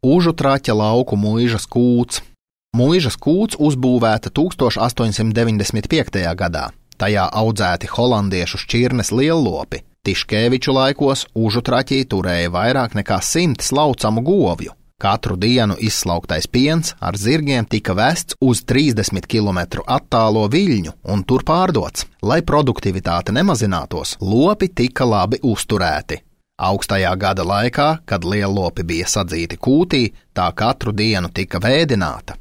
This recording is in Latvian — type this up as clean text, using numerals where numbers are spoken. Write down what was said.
Užutraķa lauku muižas kūts. Muižas kūts uzbūvēta 1895. gadā. Tajā audzēti holandiešu šķirnes liellopi. Tiškēviču laikos Užutraķī turēja vairāk nekā 100 slaucamu govju. Katru dienu izslauktais piens ar zirgiem tika vests uz 30 km attālo Viļņu un tur pārdots. Lai produktivitāte nemazinātos, lopi tika labi uzturēti. Augstajā gada laikā, kad liellopi bija sadzīti kūtī, tā katru dienu tika vēdināta.